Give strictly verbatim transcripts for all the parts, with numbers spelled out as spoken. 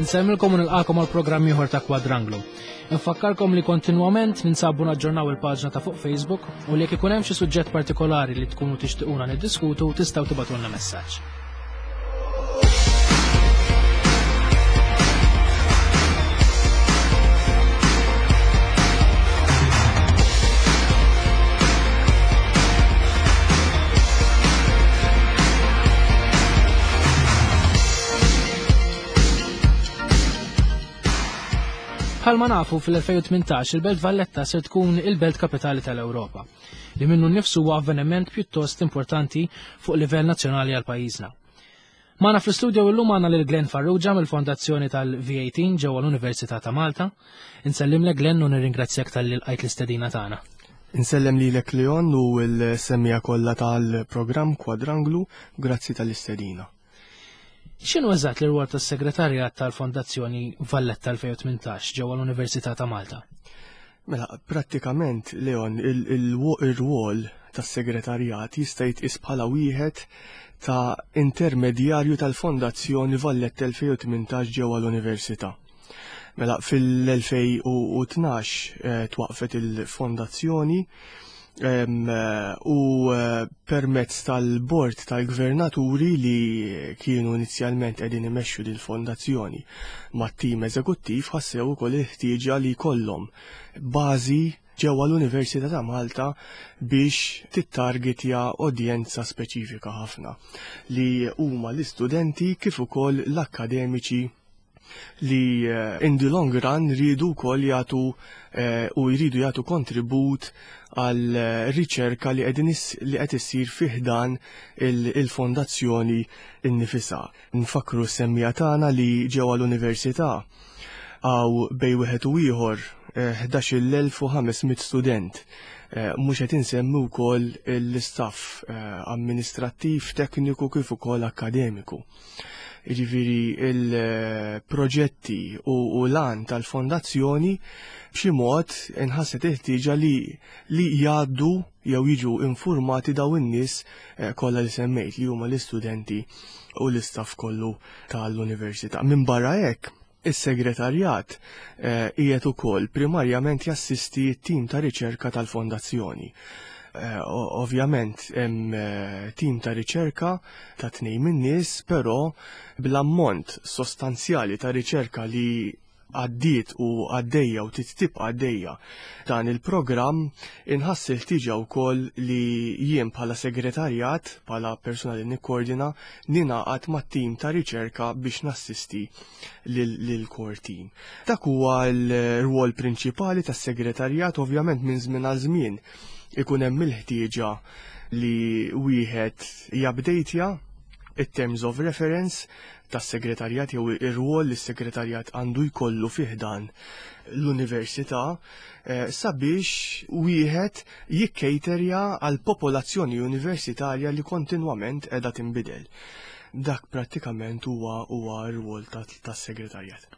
Insellmilkom u nilqakom għal programm ieħor ta' Kwadranglu. Infakkarkom li kontinwament ninsabu naġġornaw il-paġna ta' fuq Facebook u li jekk ikun hemm xi suġġett partikolari li tkunu tixtiquna niddiskutu tistgħu tibgħatulna messaġġ. Bħalma nafu fil-elfejn u tmintax il-Belt Valletta ser tkun il-belt kapitali tal-Ewropa, li minnu nnifsu huwa avveniment pjuttost importanti fuq livell nazzjonali għal pajjiżna. Magħna fl-istudio illum għandna lil Glenn Farrugia mill-Fondazzjoni tal-V eighteen ġewwa l-Università ta' Malta. Insellimlek Glenn u nirringrazzjak talli lqajt l-istedina tagħna. Insellem lilek Leon u l-semmija kollha tal-programm Kwadranglu, grazzi tal-istedina. X'inhu eżatt l-irwol tas-Segretarjat tal-Fondazzjoni Valletta elfejn u tmintax ġewwa l-Università ta' Malta? Mela, prattikament, Leon, il-, il-, ir-rwol tas-Segretarjat jista' jitqies bħala wieħed ta' intermedjarju tal-Fondazzjoni Valletta elfejn u tmintax ġewwa l-Università. Mela, fil-elfejn u tnax, eh, twaqfet il-fondazzjoni, em, u, eh, permezz tal-bord tal-gvernaturi li kienu inizjalment qegħdin imexxu din il-fondazzjoni mat-tim eżekuttiv ħassew ukoll il-ħtieġa li jkollhom bażi ġewwa l-Università ta' Malta biex tittargetja udjenza speċifika ħafna li huma l-istudenti kif ukoll l-akkademiċi li, eh, in the long run rridu wkoll jagħtu, eh, u jridu jagħtu kontribut għal, eh, riċerka li qegħdin is-, li qed issir fih dan il-, il-fondazzjoni innifisha. Nfakru s-semmija tagħna li ġewwa l-università għaw bej wieħed u ieħor, eh, ħdax-il elf u ħames mitt student. Eh, mhux qed insemmi wkoll l-istaff, eh, amministrattiv, tekniku kif ukoll akkademiku. Jiġifieri il-proġetti u, u l-għan tal-fondazzjoni b'xi mod inħasset il-ħtieġa li, li jgħaddu jew jiġu informati daw in-nies, eh, kollha li semmejt li huma l-istudenti u l-istaff kollu tal-università. Minn barra hekk, is-segretarjat, eh, qiegħed ukoll primarjament jassisti t-tim ta' riċerka tal-fondazzjoni. Eh, o-, ovvjament hemm, eh, tim ta' riċerka ta' tnejn min-nies, però bl-ammont sostanzjali ta' riċerka li għaddiet u għaddejja u titibqa' għaddejja dan il-programm inħass il-ħtieġa wkoll li jien bħala segretarjat, bħala persuna li nikkoordina, ningħaqad mat-tim ta' riċerka biex nassisti lil, lil core team. Dak huwa l-rwol prinċipali tas-segretarjat, ovvjament minn żmien għal żmien ikun hemm il-ħtieġa li wieħed jabdejtja it-terms of reference tas-segretarjat jew ir-rwol li s-segretarjat għandu jkollu fih dan l-università, eh, sabiex wieħed jikkejterja għal popolazzjoni universitarja li kontinwament qiegħda tinbidel. Dak prattikament huwa, huwa r-rwol ta-, tas-segretarjat.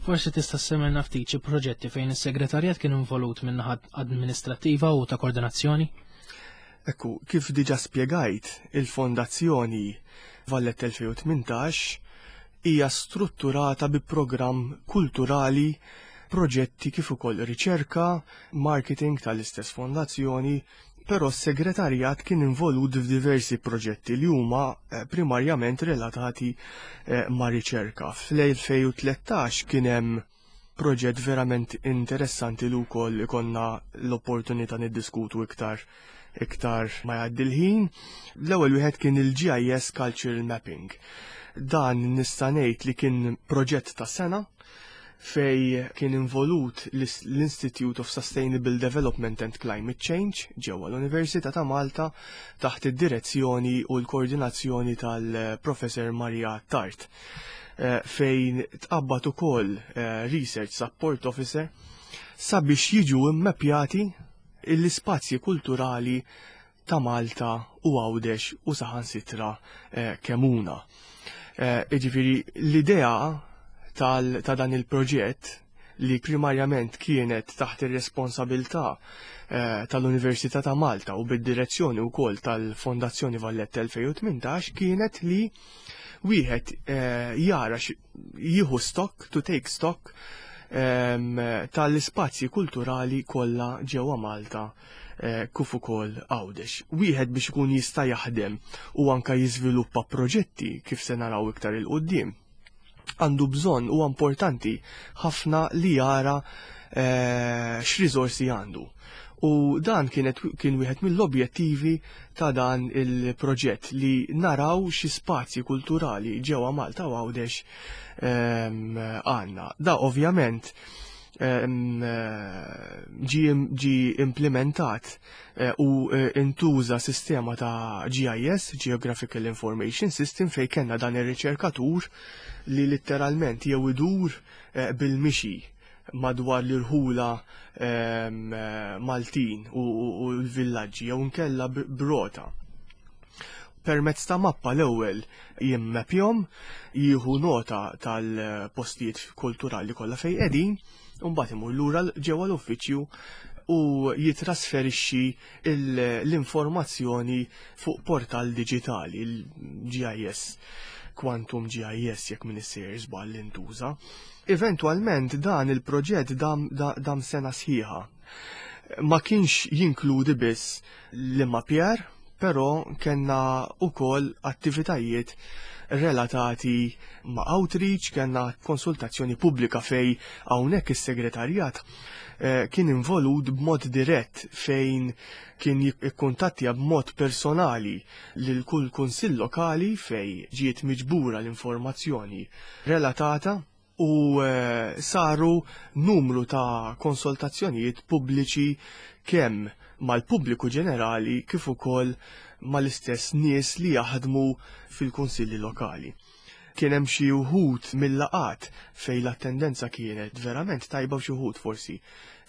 Forsi tista' semmilna ftit xi proġetti fejn is-segretarjat kien involut minn naħa amministrattiva u ta' koordinazzjoni? Ekku, kif diġà spjegajt, il-Fondazzjoni Valletta elfejn u tmintax hija strutturata bi programm kulturali, proġetti kif ukoll riċerka, marketing tal-istess fondazzjoni, però s-segretarjat kien involut f'diversi proġetti li huma, eh, primarjament relatati, eh, ma' riċerka. Fl-elfejn u tlettax kien hemm proġett verament interessanti li wkoll ikonna l-opportunità niddiskutu iktar, iktar ma jgħaddi l-ħin. L-ewwel wieħed kien il-G I S Cultural Mapping. Dan nista' ngħid li kien proġett ta' sena fej kien involut l-is-, l-Institute of Sustainable Development and Climate Change ġewwa l-Università ta' Malta taħt id-direzzjoni u l-koordinazzjoni tal-Professor Maria Tart, eh, fejn tqabbad ukoll, eh, Research Support Officer sabiex jiġu immappjati l-ispazji kulturali ta' Malta u Għawdex u saħansitra, eh, Kemuna. Eh, jiġifieri l-idea tal-, ta' dan il-proġett li primarjament kienet taħt ir-responsabilità, eh, tal-Università ta' Malta u bid-direzzjoni wkoll tal-Fondazzjoni Valletta elfejn u tmintax kienet li wieħed eh, jara jieħu stock, to take stock ehm, tal-ispazji kulturali kollha ġewwa Malta eh, kif ukoll Għawdex. Wieħed biex ikun jista' jaħdem u anka jiżviluppa proġetti kif se naraw iktar 'il quddiem għandu bżonn u importanti ħafna li jara eh, x'riżorsi għandu. U dan kienet kien wieħed mill-objettivi ta' dan il-proġett li naraw xi spazji kulturali ġewwa Malta u Għawdex ehm, għandna. Da ovvjament ehm, ġi, ġi implementat eh, u eh, intuża sistema ta' G I S, Geographical Information System, fej kellna dan ir-riċerkatur li letteralment jew idur eh, bil-mixi madwar l-irħula ehm, Maltin u l-villaġġi jew nkella b'rota. Permezz ta' mappa l-ewwel jimmapjahom, jieħu nota tal-postijiet kulturali kollha fejn qegħdin, u mbagħad imur lura ġewwa l-uffiċċju u jitrasferixxi l-informazzjoni fuq portal digitali, il-G I S, Quantum G I S jekk m'iniex sejjer żball intuża. Eventualment dan il-proġett dam, dam sena sħiħa. Ma kienx jinkludi biss l-immapjar, però kellna ukoll attivitajiet relatati ma' outreach, kellna konsultazzjoni pubblika fej hawnhekk is-segretarjat eh, kien involut b'mod dirett fejn kien jikkuntattja b'mod personali lil kull kunsill lokali fej ġiet miġbura l-informazzjoni relatata u eh, saru numru ta' konsultazzjonijiet pubbliċi kemm mal-pubbliku ġenerali kif ukoll mal-istess nies li jaħdmu fil-kunsilli lokali. Kien hemm xi wħud mill-laqat fejn l-attendenza kienet verament tajba u xi wħud forsi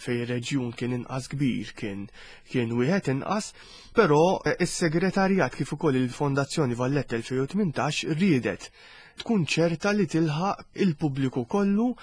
fejn ir-reġjun kien inqas kbir kien kien wieħed inqas, però eh, is-segretarjat kif ukoll il-Fondazzjoni Valletta elfejn u tmintax riedet tkun ċerta li tilħaq il-pubbliku kollu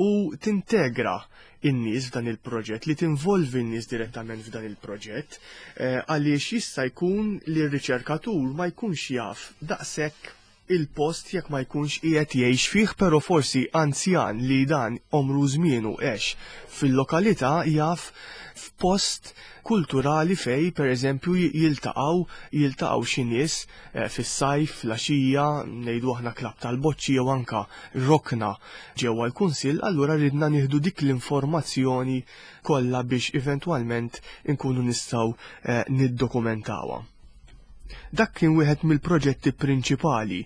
u tintegra in-nies f'dan il-proġett, li tinvolvi n-nies direttament f'dan il-proġett, eh, għaliex jista' jkun li r-riċerkatur ma jkunx jaf daqshekk il-post jekk ma jkunx qiegħed jgħix fih, però forsi anzjan li dan omru żmienu għex fil-lokalità jaf f'post kulturali fej per eżempju jiltaqgħu jiltaqgħu xi nies eh, fis-sajf, fl-għaxija, ngħidu aħna klabb tal-boċċi jew anka rokna ġewwa l-kunsill, allura ridna nieħdu dik l-informazzjoni kollha biex eventwalment inkunu nistgħu eh, niddokumentawha. Dak kien wieħed mill-proġetti prinċipali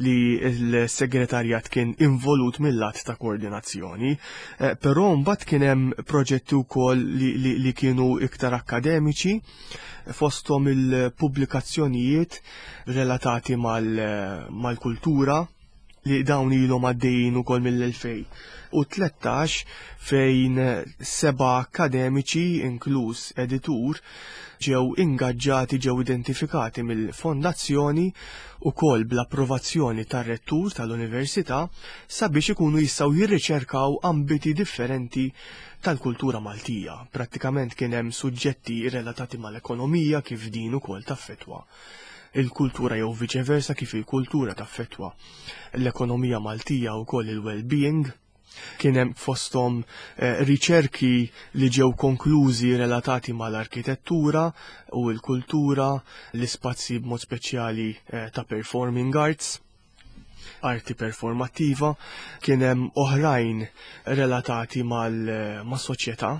li l-segretarjat kien involut mill-lat ta' koordinazzjoni, eh, però mbagħad kien hemm proġetti wkoll li, li, li kienu iktar akademiċi, fosthom il-pubblikazzjonijiet relatati mal-kultura li dawn ilhom għaddejjin ukoll mill-elfejn u tlettax fejn seba' akademiċi inkluż editur ġew ingaġġati, ġew identifikati mill-fondazzjoni ukoll bl-approvazzjoni tar-rettur tal-università sabiex ikunu jistgħu jirriċerkaw ambiti differenti tal-kultura Maltija. Prattikament kien hemm suġġetti relatati mal-ekonomija, kif din ukoll taffetwa il-kultura jew viċeversa, kif il-kultura taffetwa l-ekonomija Maltija u koll il-well-being. Kien hemm fosthom eh, riċerki li ġew konklużi relatati mal-arkitettura u l-kultura, l-ispazji b'mod speċjali eh, ta' performing arts, arti performattiva, kien hemm oħrajn relatati mal-soċjetà,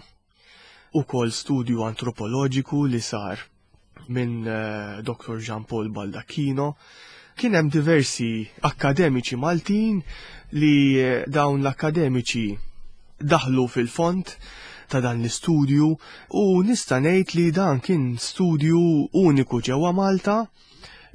ukoll studju antropoloġiku li sar minn eh, Doktor Jean Paul Baldacchino. Kien hemm diversi akademiċi Maltin li eh, dawn l-akademiċi daħlu fil-fond ta' dan l-istudju u nista' ngħid li dan kien studju uniku ġewwa Malta,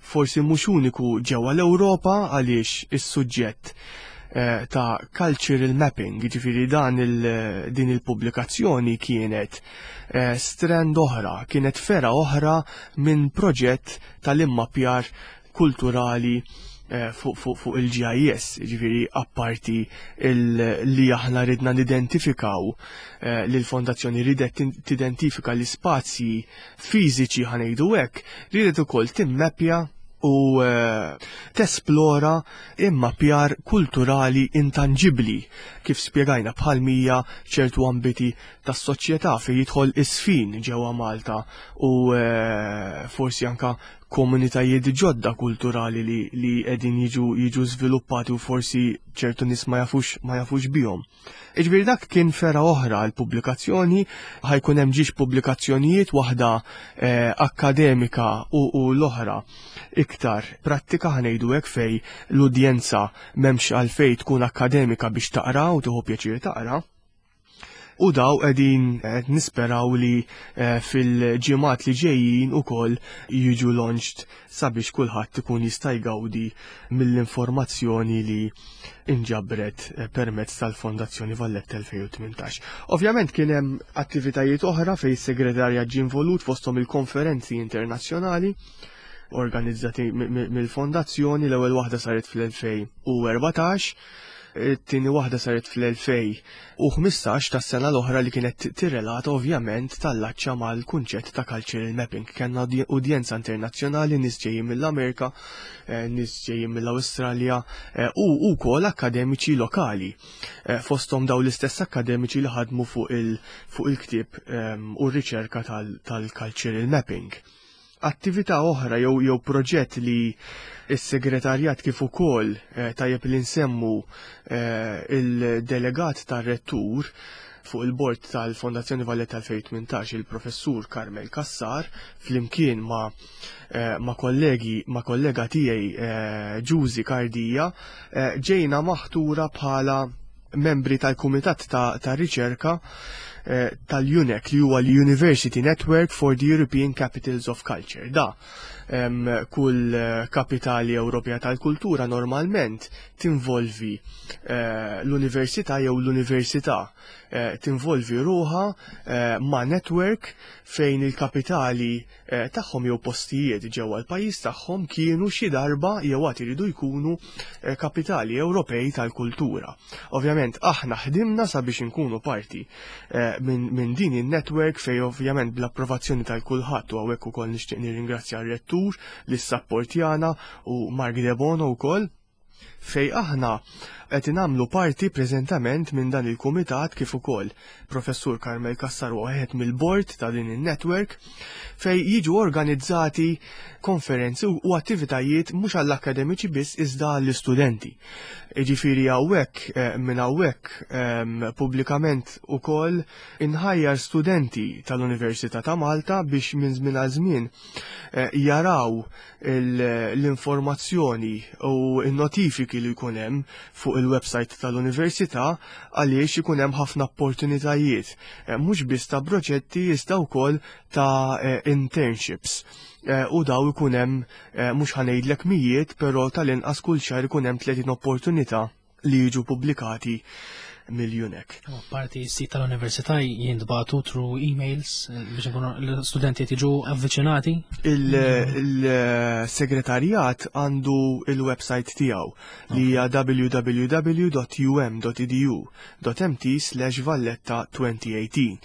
forsi mhux uniku ġewwa l-Ewropa, għaliex is-suġġett eh, ta' cultural mapping, ġifieri dan il, din il-pubblikazzjoni kienet eh, strand oħra, kienet fergħa oħra minn proġett tal-immapjar kulturali eh, fuq fu, fu il-G I S, ġifieri apparti li aħna ridna nidentifikaw, eh, li l-fondazzjoni ridet tidentifika l-ispazji fiżiċi, ħa ngħidu hekk, ridet ukoll timmappja U eh, tesplora immappjar kulturali intangibli, kif spjegajna, bħal mija ċertu ambiti tas-soċjetà fejn jidħol isfin ġewwa Malta u eh, forsi anka komunitajiet ġodda kulturali li li qegħdin jiġu jiġu żviluppati u forsi ċertu nies ma jafux ma jafux bihom. Iġifieri dak kien fergħa oħra għal pubblikazzjoni. Ħa jkun hemm żewġ pubblikazzjonijiet, waħda eh, akademika u, u l-oħra iktar prattika, ħa ngħidu hekk, fej l-udjenza m'hemmx għalfejn tkun akademika biex taqra u tieħu pjaċir taqra. U daw qegħdin qed nisperaw li eh, fil-ġimgħat li ġejjin ukoll jiġu launched sabiex kulħadd ikun jista' jgawdi mill-informazzjoni li inġabret eh, permezz tal-Fondazzjoni Valletta elfejn u tmintax. Ovvjament kien hemm attivitajiet oħra fejn is-segretarja ġie involut, fosthom il-konferenzi internazzjonali organizzati mill-fondazzjoni. L-ewwel waħda saret fl-elfejn u erbatax, it-tieni waħda saret fl-elfejn u ħmistax tas-sena l-oħra li kienet tirrelata, ovvjament, tal-laċċa mal-kunċett ta' cultural mapping. Kellna udjenza internazzjonali, nies ġejjin mill-Amerika, eh, nies ġejjin mill-Awstralja eh, u wkoll akademiċi lokali. Eh, fosthom daw l-istess akademiċi li ħadmu fuq il-ktieb ehm, u r-riċerka tal-cultural mapping. Attività oħra jew jew proġett li s-segretarjat kif ukoll, eh, tajjeb li nsemmu eh, il-delegat tar-rettur fuq il-bord tal-Fondazzjoni Valletta elfejn u tmintax, il-professur Carmel Cassar, flimkien ma, eh, ma kollegi ma kollega tiegħi eh, Ġużi Kardija, eh, ġejna maħtura bħala membri tal-Kumitat ta', ta Riċerka eh, tal-UNEC, li huwa l-University Network for the European Capitals of Culture. Da, em, kull eh, kapitali Ewropea tal-kultura normalment tinvolvi eh, l-università jew l-università eh, tinvolvi ruħha eh, ma' network fejn il-kapitali eh, tagħhom jew postijiet ġewwa l-pajjiż tagħhom kienu xi darba jew għad iridu jkunu eh, kapitali Ewropej tal-kultura. Ovvjament aħna ħdimna sabiex inkunu parti eh, minn min din il-network, fej ovvjament bl-approvazzjoni tal-kulħadd, u hawnhekk ukoll nixtieq nirringrazzja r-rettur li ssapportjana u Mark Debono wkoll, fej aħna qed nagħmlu parti preżentament minn dan il-kumitat, kif ukoll Professur Carmel Cassar wieħed mill-bord ta' din il-network, fej jiġu organizzati konferenzi u attivitajiet mhux għall-akademiċi biss iżda għall-istudenti. Ġifieri hawnhekk, eh, minn hawnhekk ehm, pubblikament ukoll inħajjar studenti tal-Università ta' Malta biex minn żmien għal żmien eh, jaraw l-informazzjoni u n-notifiki li jkun hemm fuq il-website tal-Università, għaliex ikun hemm ħafna opportunitajiet, eh, mhux biss ta' proġetti iżda wkoll ta' internships. U daw ikun hemm, mhux ħa ngħidlek mijiet, però tal-inqas kull xahar ikun hemm tletin opportunità li jiġu pubblikati mill-UNEC. Parti sit tal-università jintbagħtu through emails eh, biex nkunu l-studenti jiġu avviċinati? Il-segretarjat għandu il-website tiegħu li hija w w w punt u m punt e d u punt m t slash valletta elfejn u tmintax,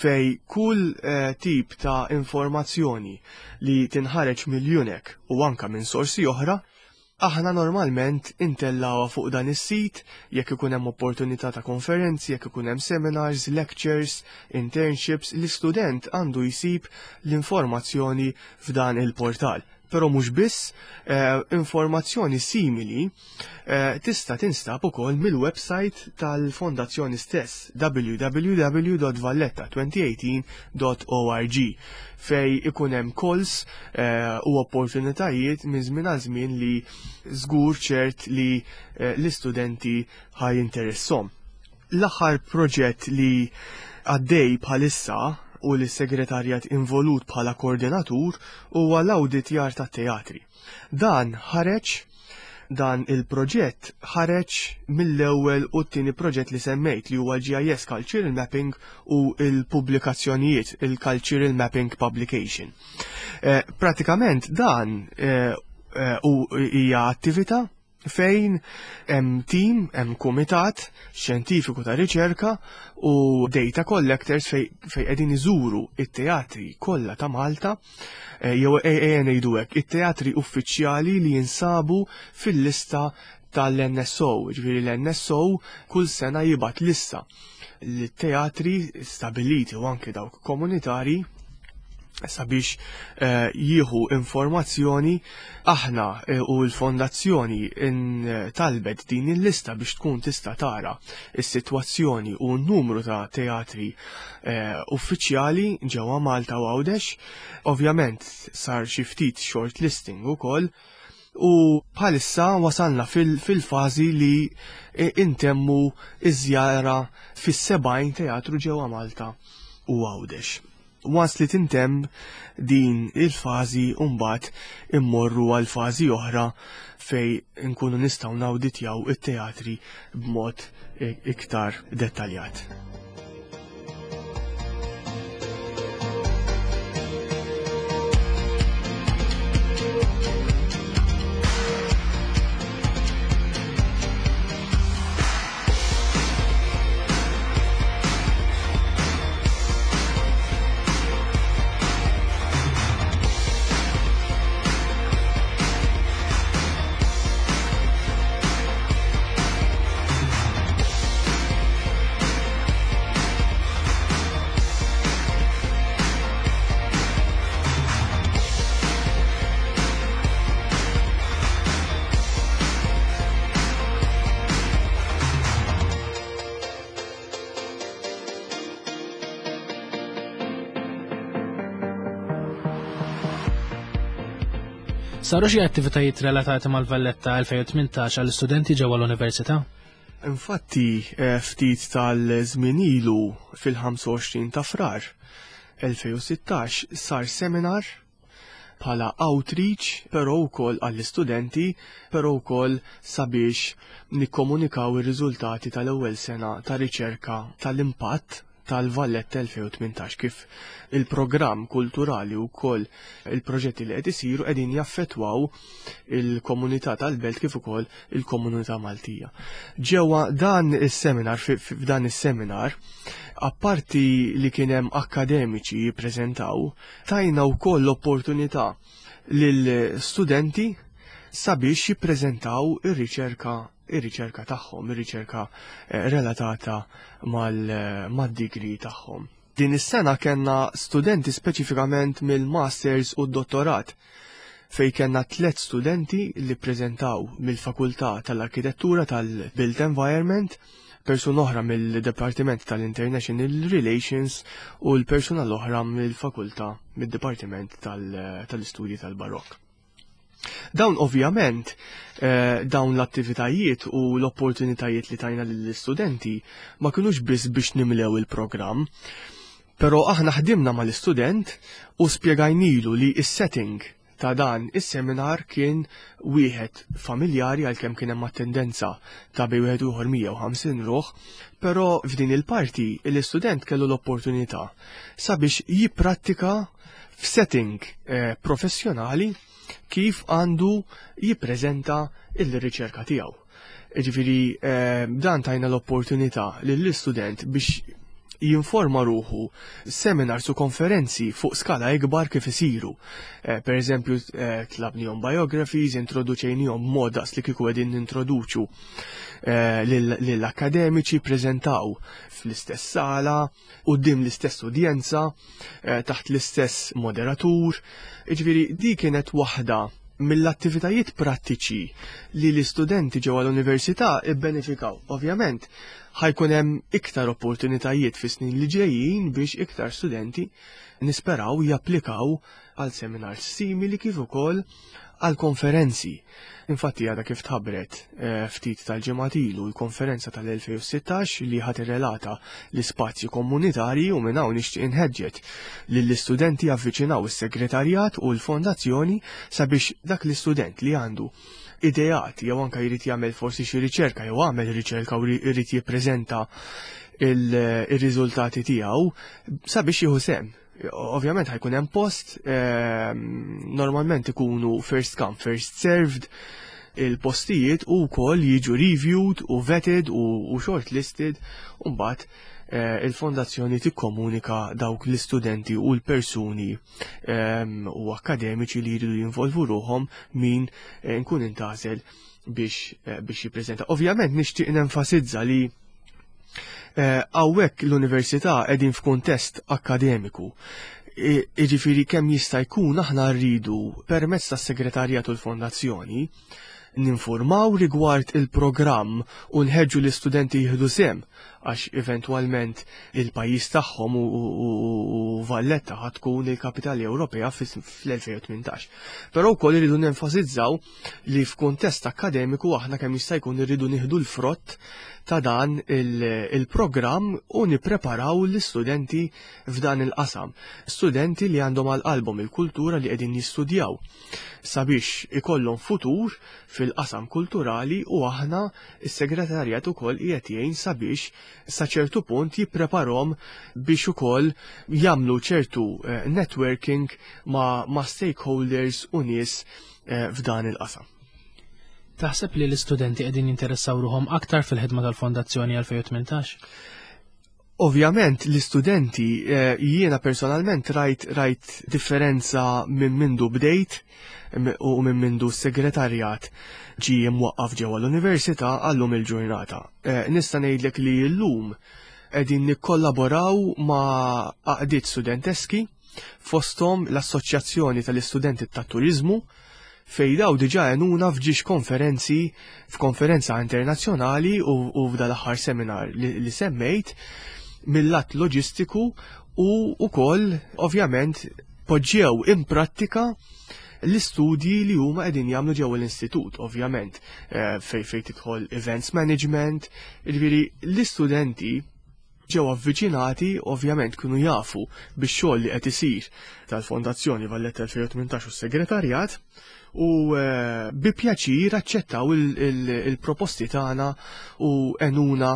fej kull eh, tip ta' informazzjoni li tinħareġ mill-UNEC u anka minn sorsi oħra aħna normalment intellgħuha fuq dan is-sit, jekk ikun hemm opportunità ta' konferenzi, jekk ikun hemm seminars, lectures, internships, l-istudent għandu jsib l-informazzjoni f'dan il-portal. Però mhux biss, eh, informazzjoni simili eh, tista' tinstab ukoll mill-website tal-fondazzjoni stess, w w w punt valletta elfejn u tmintax punt org, fej ikun hemm calls eh, u opportunitajiet minn żmien għal żmien li żgur ċert li eh, l-istudenti ħa jinteressom. L-aħħar proġett li għaddej bħalissa u li segretarjat involut bħala koordinatur huwa l-awditjar ta' teatri. Dan ħareġ dan il-proġett ħareġ mill-ewwel u t-tieni proġett li semmejt, li huwa G I S Cultural Mapping u il-pubblikazzjonijiet, il-Cultural Mapping Publication. Eh, pratikament dan eh, eh, u hija attività Fejn hemm team, hemm kumitat xjentifiku ta' riċerka u data collectors fej fej qegħdin iżuru it-teatri kollha ta' Malta, eh, jew ejja ngħidu hekk, it-teatri uffiċjali li jinsabu fil-lista tal-N S O. Ġifieri l-N S O kull sena jibgħat lista l-teatri stabiliti u anke dawk komunitari sabiex eh, jieħu informazzjoni. Aħna eh, u l-fondazzjoni in talbet din il-lista biex tkun tista' tara is-sitwazzjoni u n-numru ta' teatri eh, uffiċjali ġewwa Malta u Għawdex. Ovvjament sar xi ftit shortlisting ukoll u bħalissa wasalna fil-fażi li intemmu iż-żjara fis-sebgħin teatru ġewwa Malta u Għawdex. Once li tintemm din il-fażi, mbagħad immorru għal fażi oħra fej nkunu nistgħu nawditjaw it-teatri b'mod iktar dettaljat. Saru xi attivitajiet relatati mal-Valletta elfejn u tmintax għall-istudenti ġewwa l-Università? Infatti, eh, ftit tal-żmien ilu, fil-ħamsa u għoxrin ta' Frar elfejn u sittax, sar seminar bħala outreach, però wkoll għall-istudenti, però wkoll sabiex nikkomunikaw ir-riżultati tal-ewwel sena ta' riċerka tal-impatt tal-Valletta elfejn u tmintax, kif il-programm kulturali u koll il-proġetti li qed isiru qegħdin jaffettwaw il-komunità tal-belt kif ukoll il-komunità Maltija. Ġewwa dan is-seminar, f'dan is-seminar, apparti li kien hemm akademiċi jippreżentaw, tajna wkoll l-opportunità lill-studenti sabiex jippreżentaw ir-riċerka ir-riċerka tagħhom, ir-riċerka eh, relatata mal-degree tagħhom. Din is-sena kellna studenti speċifikament mill-masters u d-dottorat, fej kellna tliet studenti li preżentaw mill-Fakultà tal-Arkitettura tal-Built Environment, persuna oħra mill-Departiment tal-International Relations u l-persuna l-oħra mill-Fakultà mid-Dipartiment tal-Istudji tal-Barok. Dawn ovvjament, eh, dawn l-attivitajiet u l-opportunitajiet li tajna lill-istudenti ma kinux biss biex nimlew il-programm, pero aħna ħdimna mal-istudent u spjegajnilu li is-setting ta' dan is-seminar kien wieħed familjari, għalkemm kien hemm attendenza ta' bej wieħed ieħor mija u ħamsin ruħ, però f'din il-parti l-istudent kellu l-opportunità sabiex jipprattika f'setting eh, professjonali kif għandu jippreżenta il-riċerka tiegħu. Ġifieri eh, dan tajna l-opportunità lill-istudent biex jinforma ruħu seminars u konferenzi fuq skala ikbar kif isiru. Eh, per eżempju, eh, tlabnihom biographies, introduċejnihom mod daqs li kieku qegħdin nintroduċu eh, lill-akademiċi, prezentaw fl-istess sala, quddiem l-istess udjenza, eh, taħt l-istess moderatur. Ġifieri, di kienet waħda mill-attivitajiet prattiċi li l-istudenti ġewwa l-università ibbenefikaw. Ovvjament, ħa jkun hemm iktar opportunitajiet fi snin li ġejjin biex iktar studenti nisperaw japplikaw għal seminars simili kif ukoll għal konferenzi. Infatti għada kif tħabbret eh, ftit tal-ġimgħat ilu l-konferenza tal-elfejn u sittax li ħa tirrelata l-ispazji komunitarji, u minn hawn nixtieq inħeġġeġ lill-istudenti javviċinaw is-segretarjat u l-fondazzjoni sabiex dak l-istudent li għandu ideat jew anka jrid jagħmel forsi xi riċerka jew għamel riċerka u jrid jippreżenta il-riżultati tiegħu sabiex jieħu sehem. Ovvjament ħa jkun hemm post, ehm, normalment ikunu first come, first served. il-postijiet u wkoll jiġu reviewed u vetted u, u shortlisted u mbagħad eh, il-fondazzjoni tikkomunika dawk l-istudenti u l-persuni ehm, u akademiċi li jridu jinvolvu ruħhom min eh, nkun intgħażel biex, eh, biex jippreżenta. Ovvjament nixtieq nenfasizza li hawnhekk l-università qegħdin f'kuntest akademiku. Iġifieri kemm jista' jkun aħna rridu permezz tas-segretarjat u l-fondazzjoni ninformaw rigward il-programm u nħeġġu l-istudenti jieħdu sehem, għax eventwalment il-pajjiż tagħhom u, u, u Valletta ħa tkun il-kapitali Ewropea fl-elfejn u tmintax. Però wkoll irridu nenfasizzaw li f'kuntest akademiku aħna kemm jista' jkun irridu nieħdu l-frott ta' dan il-programm u nippreparaw l-istudenti f'dan il-qasam. Studenti li għandhom għal qalbhom il-kultura, li qegħdin jistudjaw sabiex ikollhom futur fil-qasam kulturali, u aħna is-segretarjat ukoll qiegħed jgħin sabiex sa ċertu punt jippreparhom biex ukoll jagħmlu ċertu eh, networking ma', ma stakeholders u nies eh, f'dan il-qasam. Taħseb li l-istudenti qegħdin jinteressaw ruħhom aktar fil-ħidma tal-Fondazzjoni elfejn u tmintax? Ovvjament l-istudenti, eh, jiena personalment rajt rajt differenza minn mindu bdejt u minn mindu s-segretarjat ġie mwaqqaf ġewwa l-università għallum il-ġurnata. Eh, nista' ngħidlek li llum qegħdin nikkollaboraw ma' għaqdiet studenteski, fosthom l-Assoċjazzjoni tal-Istudenti tat-Turizmu, fejn daw diġà għenuna f'żewġ konferenzi, f'konferenza internazzjonali u, u f'dal aħħar seminar li, li semmejt, mill-lat loġistiku u ukoll ovvjament poġġew in prattika l-istudji li huma qegħdin jagħmlu ġewwa l-istitut, ovvjament, eh, fej fej tidħol events management, jiġifieri l-istudenti ġew avviċinati, ovvjament kienu jafu bix-xogħol li qed isir tal-Fondazzjoni Valletta elfejn u tmintax u s-Segretarjat u eh, bi pjaċir aċċettaw il-proposti tagħna u għenuna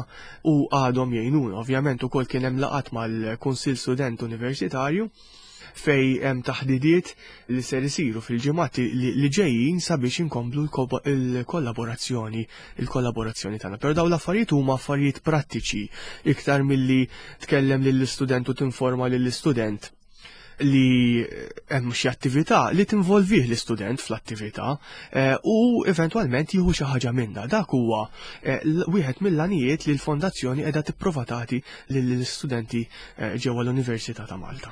u għadhom jgħinuna. Ovvjament ukoll kien hemm laqat mal-Kunsill Student Universitarju fejn hemm taħdidiet li ser isiru fil-ġimgħat li ġejjin sabiex inkomplu l-kollaborazzjoni il-kollaborazzjoni tagħna. Però dawn l-affarijiet huma affarijiet prattiċi iktar milli tkellem lill-istudent u tinforma lill-istudent li hemm xi attività li tinvolvih l-istudent fl-attività eh, u eventwalment jieħu xi ħaġa minnha. Dak huwa eh, wieħed mill-għanijiet li l-fondazzjoni qiegħda tipprova tagħti lill-istudenti eh, ġewwa l-Università ta' Malta.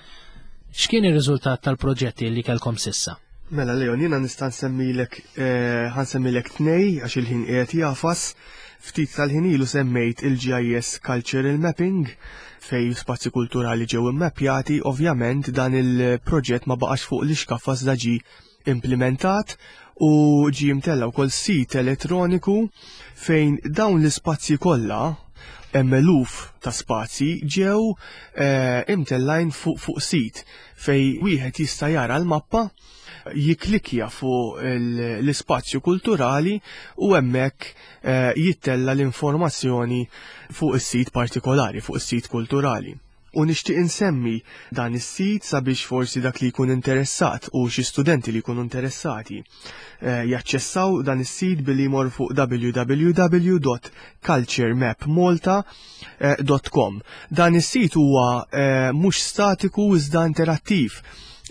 X'kien ir-riżultat tal-proġetti li kellkom s'issa? Mela Leon, jiena nista' nsemmilek, ħa nsemmilek tnejn għax il-ħin qiegħed jagħfas. Ftit tal-ħin ilu semmejt il-G I S Cultural Mapping, fejn spazji kulturali ġew immappjati. Ovvjament dan il-proġett ma baqax fuq l-ixkaffa, da ġie implementat u ġie mtella wkoll sit elettroniku fejn dawn l-ispazji kollha, hemm eluf ta' spazji, ġew eh, imtellajn fuq fuq sit fejn wieħed jista' jara l-mappa, jiklikja fuq l-ispazju kulturali u hemmhekk eh, jittella l-informazzjoni fuq is-sit partikolari, fuq is-sit kulturali. U nixtieq insemmi dan is-sit sabiex forsi dak li jkun interessat u xi studenti li jkunu interessati eh, jaċċessaw dan is-sit billi jmur fuq w w w punt culturemapmalta punt com. Dan is-sit huwa eh, mhux statiku iżda interattiv.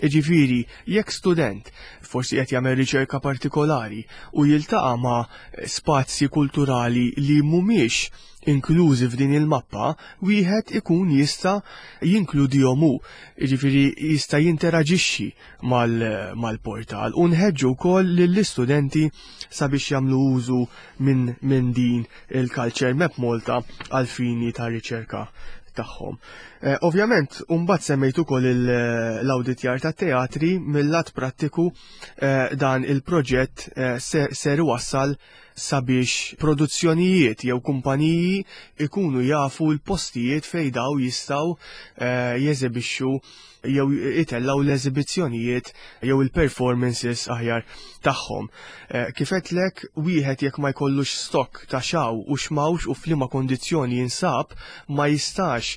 Iġifieri, jekk student forsi qed jagħmel riċerka partikolari u jiltaqa' ma' spazji kulturali li mhumiex inklużi f'din il-mappa, wieħed ikun jista' jinkludihom hu. Jiġifieri jista' jinteraġixxi mal-portal u nħeġġu wkoll lill-istudenti sabiex jagħmlu użu minn min din il-Culture Map Malta għal fini ta' riċerka tagħhom. Eh, ovvjament, mbagħad semmejt ukoll l-awditjar ta' teatri. Mill-lat prattiku eh, dan il-proġett eh, ser wassal sabiex produzzjonijiet jew kumpaniji ikunu jafu l-postijiet fejn daw jistgħu jeżebixxu jew itellaw l-eżibizzjonijiet jew il-performances aħjar tagħhom. Kif għedtlek, wieħed jekk ma jkollux stock ta' x'hawn u x'm'hawnx u f'liema kondizzjoni jinsab, ma jistax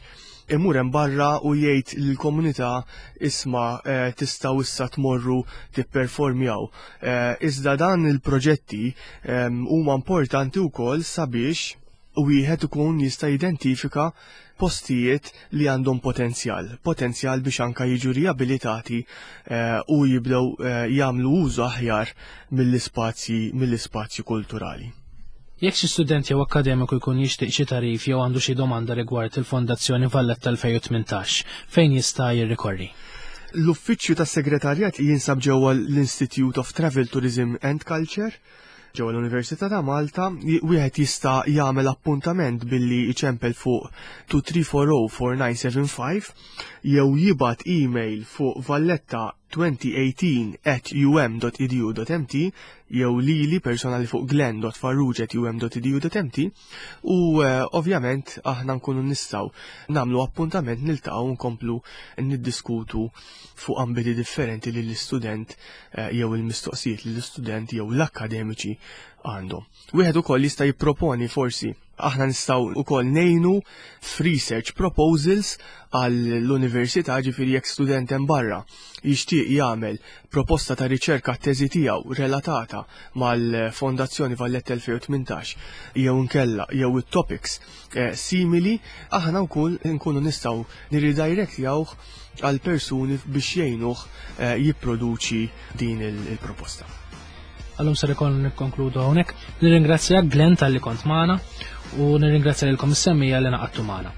imur hemm barra u jgħid lill-komunità isma' eh, tistgħu issa tmorru tipperformjaw. Eh, iżda dan il-proġetti ehm, huma importanti wkoll sabiex wieħed ikun jista' jidentifika postijiet li għandhom potenzjal, potenzjal biex anka jiġu riabilitati eh, u jibdew eh, jagħmlu użu aħjar mill-ispazji mill-ispazji kulturali. Jekk xi student jew akkademiku jkun jixtieq xi tagħrif jew għandu xi domanda rigward il-Fondazzjoni Valletta elfejn u tmintax, fejn jista' jirrikorri? L-uffiċċju tas-segretarjat jinsab ġewwa l-Institute of Travel, Tourism and Culture ġewwa l-Università ta' Malta. Wieħed jista' jagħmel appuntament billi jċempel fuq tnejn tliet erba' zero erba' disa' seba' ħamsa jew jibgħat email fuq valletta elfejn u tmintax at um dot edu dot M T jew lili personali fuq glenn dot farrugia at um dot edu dot M T u uh, ovvjament aħna nkunu nistgħu nagħmlu appuntament, niltaqgħu, nkomplu niddiskutu fuq ambiti differenti li l-istudent uh, jew il-mistoqsijiet li l-istudent jew l-akademiċi għandhom. Wieħed ukoll jista' jipproponi, forsi aħna nistgħu ukoll ngħinu f'research proposals għall-università, ġifieri jekk student hemm barra jixtieq jagħmel proposta ta' riċerka, teżi tiegħu relatata mal-Fondazzjoni Valletta elfejn u tmintax jew inkella jew it-topics eh, simili, aħna wkoll nkunu nistgħu nirridirectjawh għal persuni biex jgħinuh eh, jipproduċi din il-proposta. Għallum ser ikon nikkonkludu hawnhekk. Nirringrazzjak, Glenn, talli kont magħna u nirringrazzja lilkom is-semmiegħa li ngħaqadtu magħna.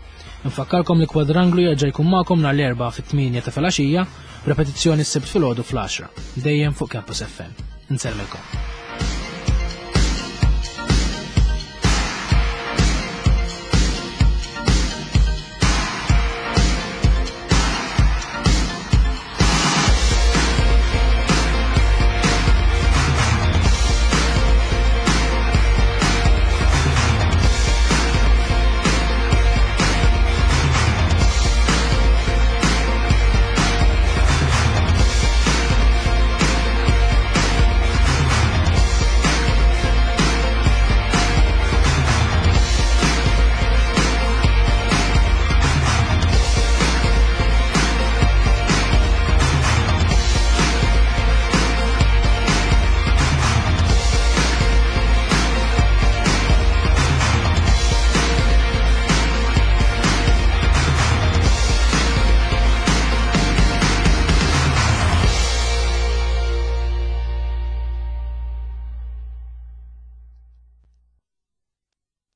Nfakkarkom li Kwadranglu jerġa' jkun magħkom nhar l-Erbgħa fit-tmienja ta' filgħaxija, repetizzjoni s-Sibt filgħodu fl-għaxra, dejjem fuq Campus F M. Nsellmilkom.